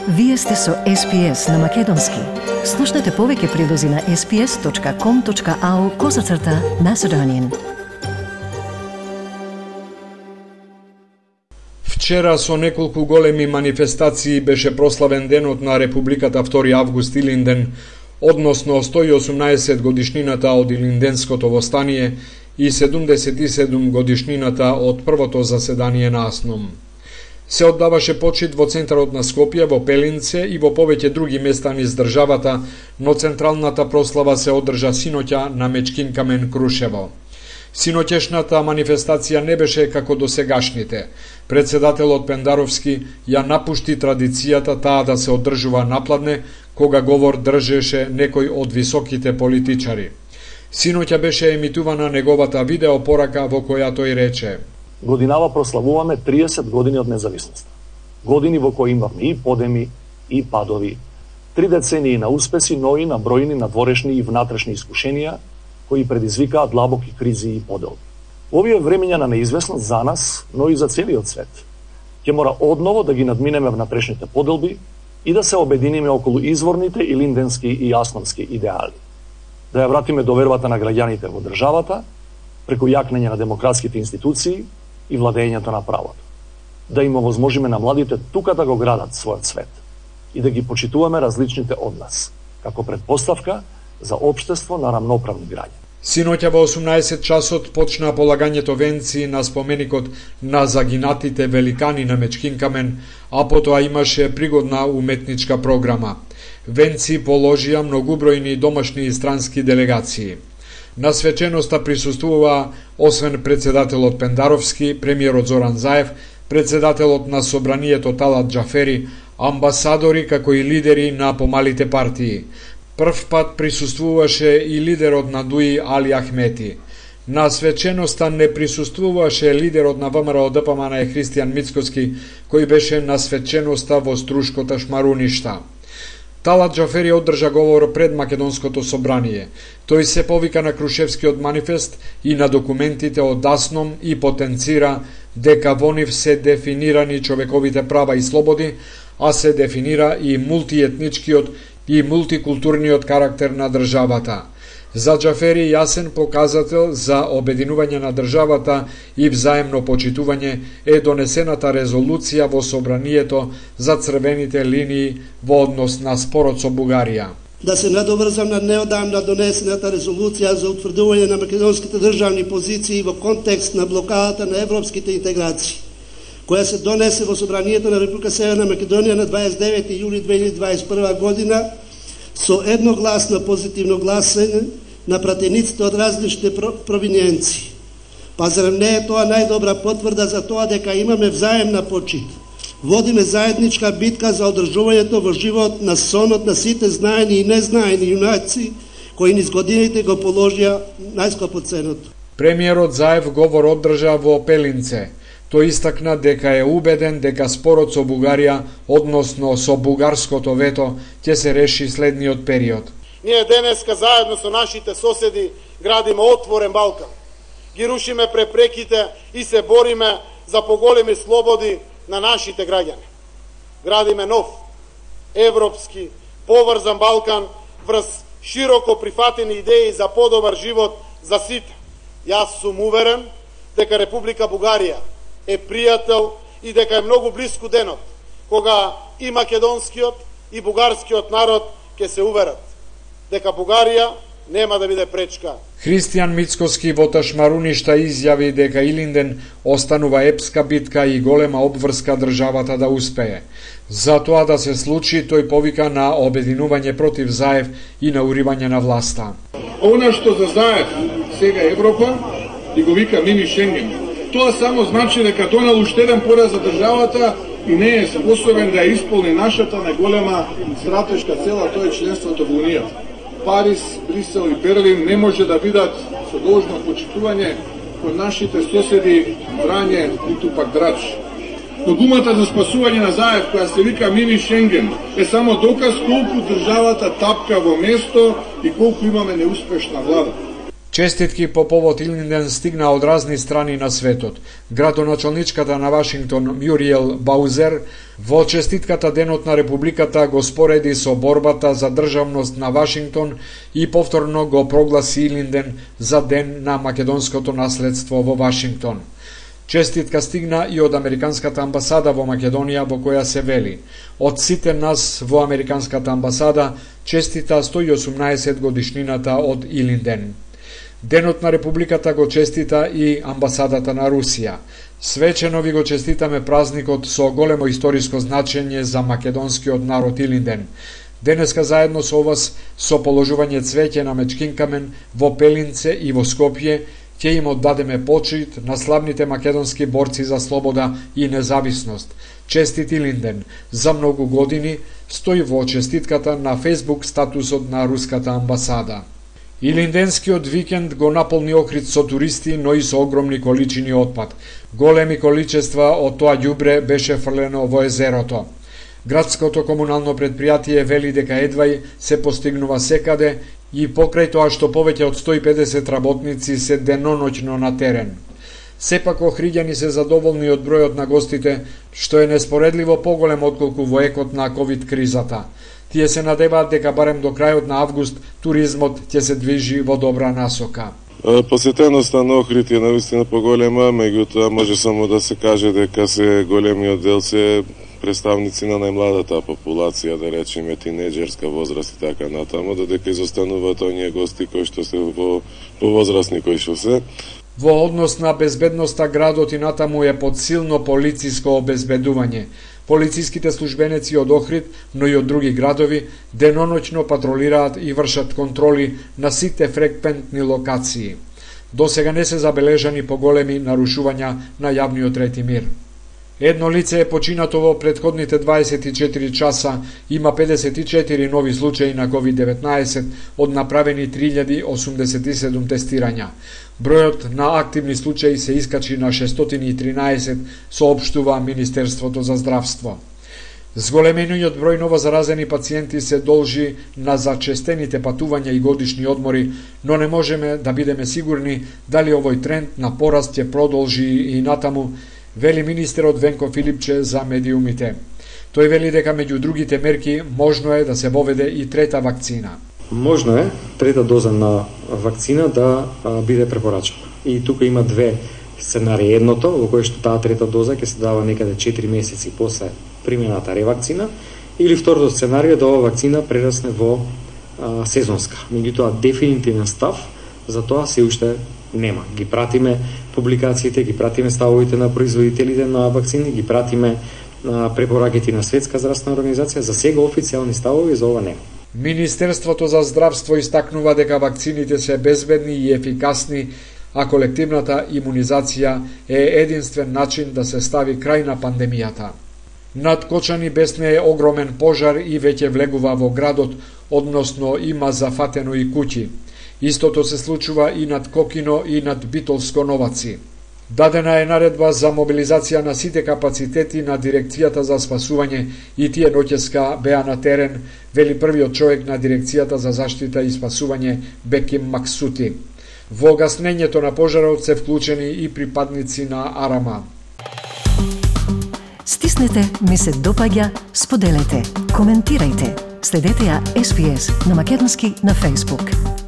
Вие сте со SPS на Македонски. Слушнете повеќе прилози на sps.com.au/Macedonian. Вчера со неколку големи манифестации беше прославен денот на Републиката 2 август Илинден, односно 118 годишнината од Илинденското востание и 77 годишнината од првото заседание на АСНОМ. Се оддаваше почит во центарот на Скопје, во Пелинце и во повеќе други места низ државата, но централната прослава се одржа синоќа на Мечкин камен Крушево. Синоќешната манифестација не беше како досегашните. Председателот Пендаровски ја напушти традицијата таа да се одржува напладне, кога говор држеше некој од високите политичари. Синоќа беше емитувана неговата видеопорака во која тој рече: Годинава прославуваме 30 години од независноста. Години во кои имавме и подеми, и падови, 3 децении на успеси, но и на бројни надворешни и внатрешни искушенија, кои предизвикаат длабоки кризи и поделби. Овие времења на неизвестност за нас, но и за целиот свет, ќе мора одново да ги надминеме внатрешните поделби и да се обединиме околу изворните илинденски и асномски идеали. Да ја вратиме довербата на граѓаните во државата, преку јакнење на демократските институции и владењето на правото. Да им овозможиме на младите тука да го градат својот свет и да ги почитуваме различните од нас, како предпоставка за општество на рамноправни граѓани. Синоќа во 18 часот почна полагањето венци на споменикот на загинатите великани на Мечкин камен, а потоа имаше пригодна уметничка програма. Венци положија многубројни домашни и странски делегации. На свеченоста присуствува освен председателот Пендаровски, премиерот Зоран Заев, председателот на Собранието Талат Џафери, амбасадори како и лидери на помалите партии. Прв пат присуствуваше и лидерот на ДУИ Али Ахмети. На свеченоста не присуствуваше лидерот на ВМРО ДПМН Христијан Мицкоски, кој беше на свеченоста во Струшкота Шмаруништа. Талат Џафери одржа говор пред Македонското собрание. Тој се повика на Крушевскиот манифест и на документите од АСНОМ и потенцира дека во нив се дефинирани човековите права и слободи, а се дефинира и мултиетничкиот и мултикултурниот карактер на државата. За Џафери јасен показател за обединување на државата и взаемно почитување е донесената резолуција во Собранието за црвените линии во однос на спорот со Бугарија. Да се надоврзам на неодамна донесената резолуција за утврдување на македонските државни позиции во контекст на блокадата на европските интеграции, која се донесе во Собранието на Република Северна Македонија на 29 јули 2021 година со едногласно позитивно гласење на пратениците од различните провиниенции. Па зарем не е тоа најдобра потврда за тоа дека имаме взаемна почит? Водиме заедничка битка за одржувањето во живот на сонот на сите знаени и незнаени јунаци кои низ годините го положија најскапо ценото. Премиерот Заев говор одржа во Пелинце. Тој истакна дека е убеден дека спорот со Бугарија, односно со бугарското вето, ќе се реши следниот период. Ние денеска заедно со нашите соседи градиме отворен Балкан. Ги рушиме препреките и се бориме за поголеми слободи на нашите граѓани. Градиме нов, европски, поврзан Балкан врз широко прифатени идеи за подобар живот за сите. Јас сум уверен дека Република Бугарија е пријател и дека е многу блиску денот кога и македонскиот и бугарскиот народ ќе се уверат дека Бугарија нема да биде пречка. Христијан Мицкоски во Ташмаруништа изјави дека Илинден останува епска битка и голема обврска државата да успее. За тоа да се случи, тој повика на обединување против Заев и на уривање на власта. Она што за Заев сега Европа и го вика мини Шенген, тоа само значи дека донел уште еден пораз за државата и не е способен да ја исполни нашата најголема стратешка цел, а тоа е членството во Унијата. Париз, Брисел и Берлин не може да бидат со должно почитување код нашите соседи Врање и Тупак Драч. Но думата за спасување на Заев, која се вика мини Шенген, е само доказ колку државата тапка во место и колку имаме неуспешна влада. Честитки по повод Илинден стигна од разни страни на светот. Градоначалничката на Вашингтон Мјуриел Баузер Во честитката Денот на Републиката го спореди со борбата за државност на Вашингтон и повторно го прогласи Илинден за Ден на македонското наследство во Вашингтон. Честитка стигна и од Американската амбасада во Македонија, во која се вели: од сите нас во Американската амбасада честита 118 годишнината од Илинден. Денот на Републиката го честита и амбасадата на Русија. Свечено ви го честитаме празникот со големо историско значење за македонскиот народ Илинден. Денеска заедно со вас, со положување цвеќе на мечкинкамен во Пелинце и во Скопје, ќе им оддадеме почит на славните македонски борци за слобода и независност. Честит Илинден, за многу години, стои во честитката на Facebook статусот на Руската амбасада. Илинденскиот викенд го наполни Охрид со туристи, но и со огромни количини отпад. Големи количества од тоа ѓубре беше фрлено во езерото. Градското комунално предпријатие вели дека едвај се постигнува секаде и покрај тоа што повеќе од 150 работници се деноноќно на терен. Сепак охриѓани се задоволни од бројот на гостите, што е неспоредливо поголем отколку во екот на ковид кризата. Тие се надеваат дека барем до крајот на август туризмот ќе се движи во добра насока. Посетеноста на Охрид е навистина поголема, меѓутоа може само да се каже дека се големиот дел се представници на најмладата популација, да речеме тинеџерска возраст и така натаму, додека изостануваат оние гости кои што се повозрастни кои што се. Во однос на безбедноста градот и натаму е под силно полициско обезбедување. Полициските службеници од Охрид, но и од други градови, деноноќно патролираат и вршат контроли на сите фреквентни локации. До сега не се забележани поголеми нарушувања на јавниот ред и мир. Едно лице е починато во претходните 24 часа, има 54 нови случаи на COVID-19 од направени 3087 тестирања. Бројот на активни случаи се искачи на 613, соопштува Министерството за здравство. Зголемениот број новозаразени пациенти се должи на зачестените патувања и годишни одмори, но не можеме да бидеме сигурни дали овој тренд на пораст ќе продолжи и натаму, вели министерот Венко Филипче за медиумите. Тој вели дека меѓу другите мерки можно е да се воведе и трета вакцина. Можно е трета доза на вакцина да биде препорачена. И тука има две сценарии. Едното, во кое што таа трета доза ќе се дава некаде 4 месеци после примената ревакцина, или второто сценарио да ова вакцина прерасне во сезонска. Меѓутоа дефинитивен став за тоа се уште нема. Ги пратиме публикациите, ги пратиме ставовите на производителите на вакцини, ги пратиме препораките на Светска здравствена организација, за сега официјални ставови за ова нема. Министерството за здравство истакнува дека вакцините се безбедни и ефикасни, а колективната имунизација е единствен начин да се стави крај на пандемијата. Над Кочани бесне е огромен пожар и веќе влегува во градот, односно има зафатено и куќи. Истото се случува и над Кокино и над Битолско Новаци. Дадена е наредба за мобилизација на сите капацитети на Дирекцијата за спасување и тие ноќеска беа на терен, вели првиот човек на Дирекцијата за заштита и спасување Беким Максути. Во гаснењето на пожарот се вклучени и припадници на Арама. Стиснете, ми се допаѓа, споделете, коментирајте. Следете ја SPS на македонски на Facebook.